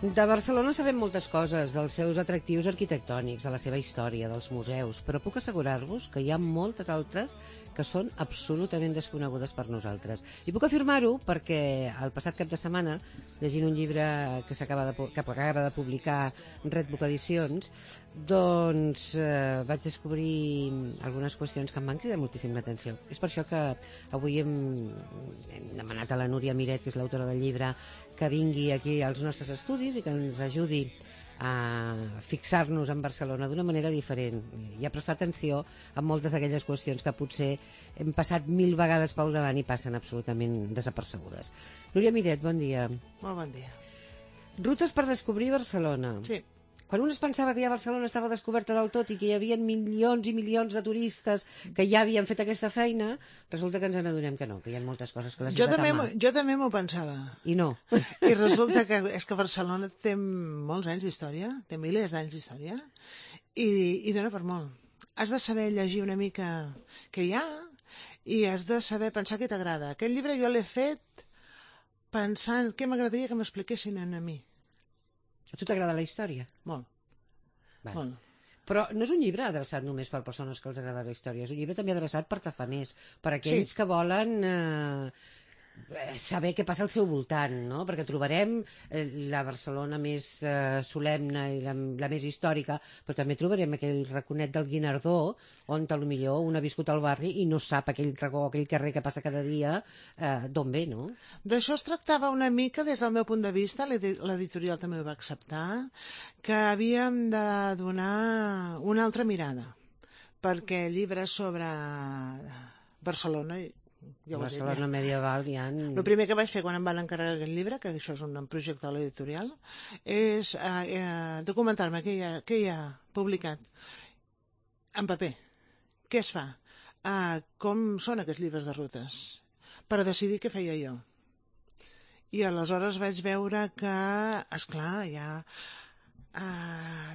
De Barcelona sabem moltes coses, dels seus atractius arquitectònics, de la seva història, dels museus, però puc assegurar-vos que hi ha moltes altres que són absolutament desconegudes per nosaltres. I puc afirmar-ho perquè el passat cap de setmana, llegint un llibre que acaba de publicar Red Book Edicions, doncs vaig descobrir algunes qüestions que em van cridar moltíssim l'atenció. És per això que avui hem demanat a la Núria Miret, que és l'autora del llibre, que vingui aquí als nostres estudis i que ens ajudi a fixar-nos en Barcelona d'una manera diferent i a prestar atenció a moltes d'aquelles qüestions que potser hem passat 1000 vegades pel davant i passen absolutament desapercebudes. Núria Miret, bon dia. Molt bon dia. Rutes per descobrir Barcelona. Sí. Quan un es pensava que ja Barcelona estava descoberta del tot i que hi havia milions i milions de turistes que ja havien fet aquesta feina, resulta que ens n'adonem que no, que hi ha moltes coses que la ciutat ama. Jo també m'ho pensava. I no. I resulta que és que Barcelona té molts anys d'història, té milers d'anys d'història, i dona per molt. Has de saber llegir una mica què hi ha i has de saber pensar què t'agrada. Aquest llibre jo l'he fet pensant què m'agradaria que m'expliquessin a mi. A tu t'agrada la història? Molt. Vale. Molt. Però no és un llibre adreçat només per persones que els agrada la història, és un llibre també adreçat per tafaners, per aquells que volen saber què passa al seu voltant, no? Perquè trobarem la Barcelona més solemne i la més històrica, però també trobarem aquell raconet del Guinardó on potser un ha viscut al barri i no sap aquell racó, aquell carrer que passa cada dia d'on ve, no? D'això es tractava una mica des del meu punt de vista, l'editorial també ho va acceptar, que havíem de donar una altra mirada, perquè llibres sobre Barcelona... Barcelona medieval hi ha... El primer que vaig fer quan em van encarregar aquest llibre, que això és un projecte de l'editorial, és documentar-me què hi ha publicat en paper, què es fa, com són aquests llibres de rutes, per decidir què feia jo. I aleshores vaig veure que, esclar, hi ha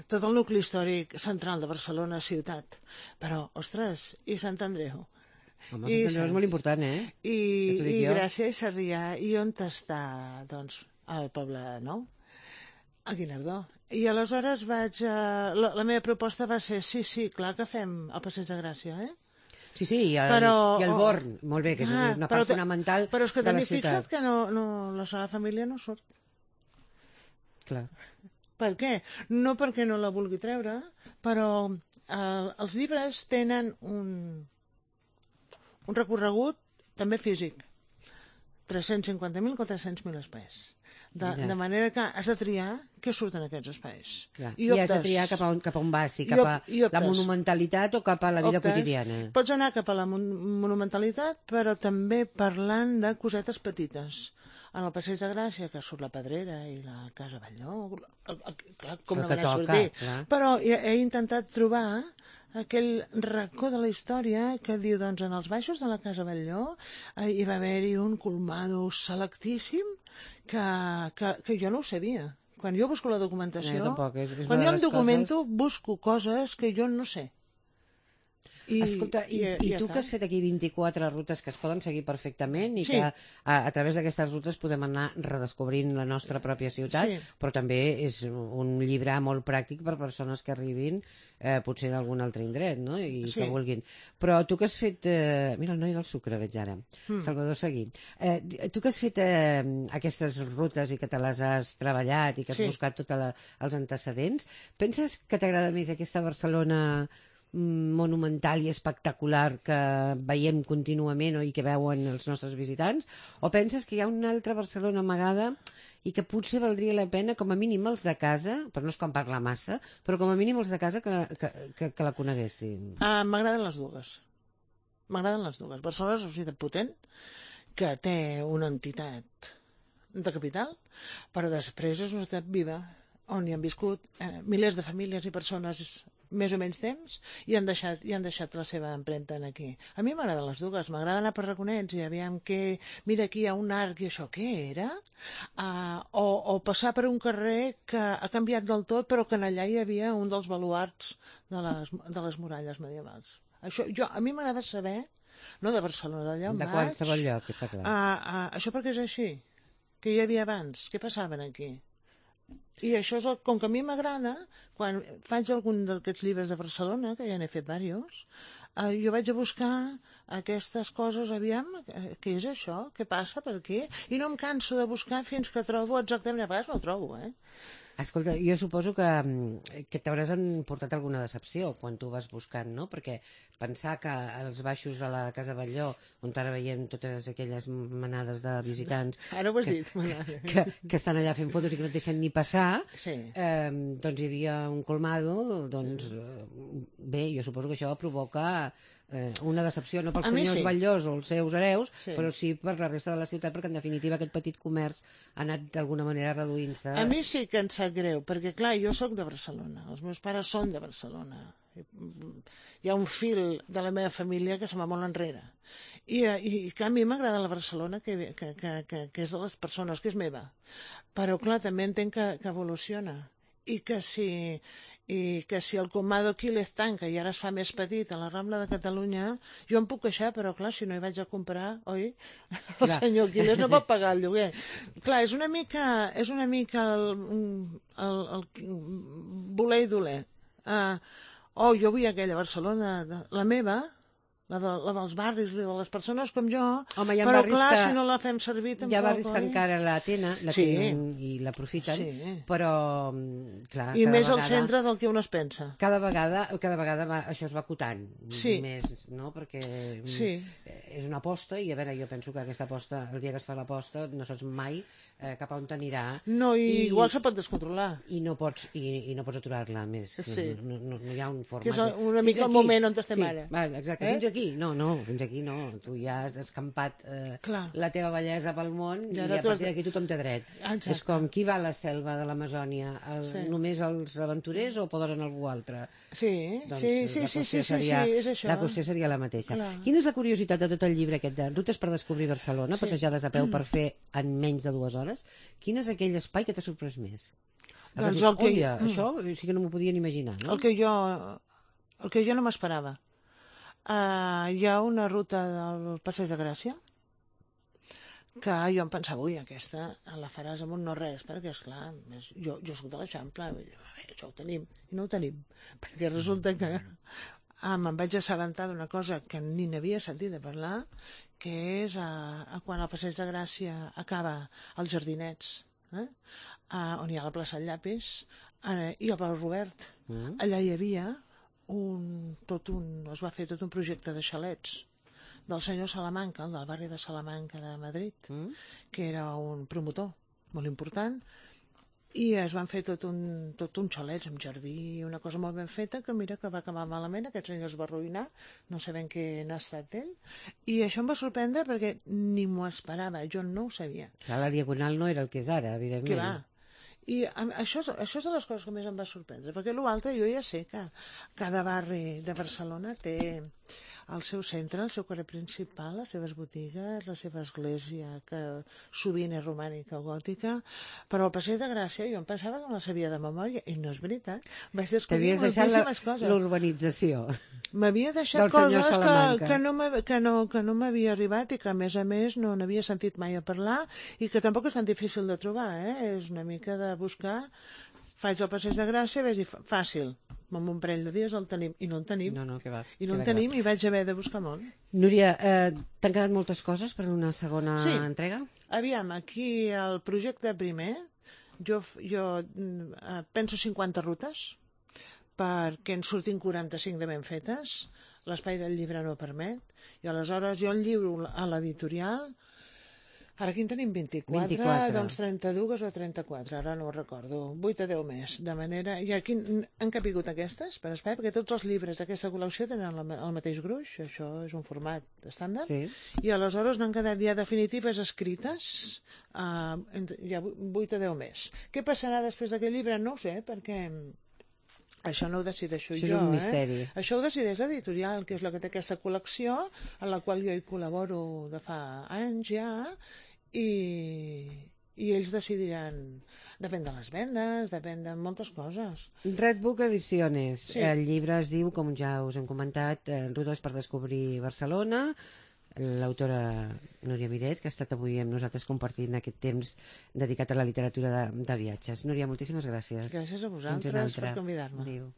tot el nucli històric central de Barcelona ciutat, però, ostres, i Sant Andreu? Home, Sant Andreu és molt important, I Gràcia i Sarrià. I on està, doncs, el poble nou? A Guinardó. I aleshores la meva proposta va ser, sí, clar que fem el Passeig de Gràcia, Sí, i el Born, molt bé, que és una part fonamental de la ciutat. Però és que també fixa't que la Sagrada Família no surt. Clar. Per què? No perquè no la vulgui treure, però els llibres tenen un recorregut també físic, 350.000 o 300.000 espais. De manera que has de triar què surt en aquests espais. I has de triar cap a on vas, si cap a la monumentalitat o cap a la vida quotidiana. Pots anar cap a la monumentalitat, però també parlant de cosetes petites. En el Passeig de Gràcia, que surt la Pedrera i la Casa Batlló, clar, com no van a sortir. Però he intentat trobar aquell racó de la història que diu, doncs, en els baixos de la Casa Batlló hi va haver-hi un colmado selectíssim que jo no ho sabia. Quan jo busco la documentació, quan jo em documento, busco coses que jo no sé. Escolta, i tu que has fet aquí 24 rutes que es poden seguir perfectament i que a través d'aquestes rutes podem anar redescobrint la nostra pròpia ciutat, però també és un llibre molt pràctic per persones que arribin potser en algun altre indret, no? I que vulguin. Però tu que has fet... Mira, el noi del sucre veig ara, Salvador Seguí. Tu que has fet aquestes rutes i que te les has treballat i que has buscat tots els antecedents, penses que t'agrada més aquesta Barcelona monumental i espectacular que veiem contínuament i que veuen els nostres visitants, o penses que hi ha una altra Barcelona amagada i que potser valdria la pena, com a mínim els de casa, però no és com parlar massa, però com a mínim els de casa que la coneguessin? M'agraden les dues. Barcelona és una ciutat potent que té una entitat de capital, però després és una ciutat viva on hi han viscut milers de famílies i persones més o menys temps i han deixat la seva empremta aquí. A mi m'agraden les dues, m'agrada anar per raconets i aviam que, mira, aquí hi ha un arc i això què era? O passar per un carrer que ha canviat del tot però que en allà hi havia un dels baluarts de les muralles medievals. A mi m'agrada saber, no de Barcelona, d'allà on vaig... De qualsevol lloc, està clar. Això perquè és així. Què hi havia abans? Què passaven aquí? I això és com que a mi m'agrada, quan faig algun d'aquests llibres de Barcelona, que ja n'he fet diversos, jo vaig a buscar aquestes coses, aviam, què és això? Què passa per aquí? I no em canso de buscar fins que trobo exactament, a vegades no ho trobo, Escolta, jo suposo que t'hauràs portat alguna decepció quan tu vas buscant, no? Perquè pensar que als baixos de la Casa Batlló, on ara veiem totes aquelles manades de visitants ara ho has dit, que estan allà fent fotos i que no et deixen ni passar, sí. Doncs hi havia un colmado, doncs bé, jo suposo que això provoca una decepció, no pels senyors Batllós o els seus hereus, però sí per la resta de la ciutat, perquè en definitiva aquest petit comerç ha anat d'alguna manera reduint-se. A mi sí que em sap greu, perquè clar, jo sóc de Barcelona, els meus pares són de Barcelona, hi ha un fil de la meva família que se va molt enrere, i que a mi m'agrada la Barcelona que és de les persones, que és meva, però clar, també entenc que evoluciona, i que si el Comado Quílez tanca i ara es fa més petit a la Rambla de Catalunya, jo em puc queixar, però clar, si no hi vaig a comprar, oi? El senyor Quílez no pot pagar el lloguer. Clar, és una mica el voler i doler. Jo vull aquella Barcelona, la meva, la dels barris, de les persones com jo, home, però clar, si no la fem servir tampoc... Hi ha barris que encara la tenen i l'aprofiten, però clar... I més al centre del que un es pensa. Cada vegada això es va acotant més, no? Perquè és una aposta i a veure, jo penso que aquesta aposta, el dia que es fa l'aposta, no saps mai cap a on t'anirà. No, i igual se pot descontrolar. I no pots aturar-la més. No hi ha un format. Que és una mica el moment on estem ara. Exacte, fins fins aquí no. Tu ja has escampat la teva bellesa pel món i a partir d'aquí tothom té dret. És com qui va a la selva de l'Amazònia? Només els aventurers o poden anar algú altre? Sí, és això. La qüestió seria la mateixa. Quina és la curiositat de tot el llibre aquest de Rutes per descobrir Barcelona, passejades a peu per fer en menys de 2 hores? Quin és aquell espai que t'ha sorprès més? Doncs això sí que no m'ho podien imaginar, no? El que jo no m'esperava. Hi ha una ruta del Passeig de Gràcia que jo em pensava, aquesta la faràs amb un no res, perquè esclar, jo soc de l'Eixample, això ho tenim, i no ho tenim, perquè resulta que me'n vaig assabentar d'una cosa que ni n'havia sentit a parlar, que és quan el Passeig de Gràcia acaba als Jardinets, on hi ha la plaça del Llapis, i el Pal Robert. Allà hi havia es va fer tot un projecte de xalets del senyor Salamanca, del barri de Salamanca de Madrid, que era un promotor molt important, i es van fer tot un xalets amb jardí, una cosa molt ben feta, que mira que va acabar malament, aquest senyor es va arruïnar, no sabem què n'ha estat ell, i això em va sorprendre perquè ni m'ho esperava, jo no ho sabia. La Diagonal no era el que és ara, evidentment. Que va. I això és de les coses que més em va sorprendre, perquè l'altre jo ja sé que cada barri de Barcelona té el seu centre, el seu carrer principal, les seves botigues, la seva església, que sovint és romànica o gòtica, però el Passeig de Gràcia jo em pensava que no la sabia de memòria, i no és veritat. Vaig descobrir moltíssimes coses. L'urbanització. M'havia deixat coses que no m'havia arribat i que a més no n'havia sentit mai a parlar i que tampoc és tan difícil de trobar, és una mica de buscar. Faig el Passeig de Gràcia, vaig dir, fàcil, amb un parell de dies el tenim, i no en tenim. I no en tenim i vaig haver de buscar molt. Núria, t'han quedat moltes coses per una segona entrega? Aviam, aquí el projecte primer, jo penso 50 rutes, perquè en surtin 45 de ben fetes, l'espai del llibre no permet, i aleshores jo el lliuro a l'editorial. Ara aquí en tenim 24, doncs 32 o 34, ara no ho recordo, 8 o 10 més, de manera... I aquí han capigut aquestes, per espai, perquè tots els llibres d'aquesta col·lecció tenen el mateix gruix, això és un format estàndard, i aleshores n'han quedat ja definitives escrites, ja 8 o 10 més. Què passarà després d'aquest llibre? No ho sé, perquè... Això no ho decideixo jo, és un misteri. Això ho decideix l'editorial, que és la que té aquesta col·lecció, en la qual jo hi col·laboro de fa anys ja, i ells decidiran, depèn de les vendes, depèn de moltes coses. Red Book Ediciones, el llibre es diu, com ja us hem comentat, Rutes per descobrir Barcelona, l'autora Núria Miret, que ha estat avui amb nosaltres compartint aquest temps dedicat a la literatura de viatges. Núria, moltíssimes gràcies. Gràcies a vosaltres per convidar-me. Adéu.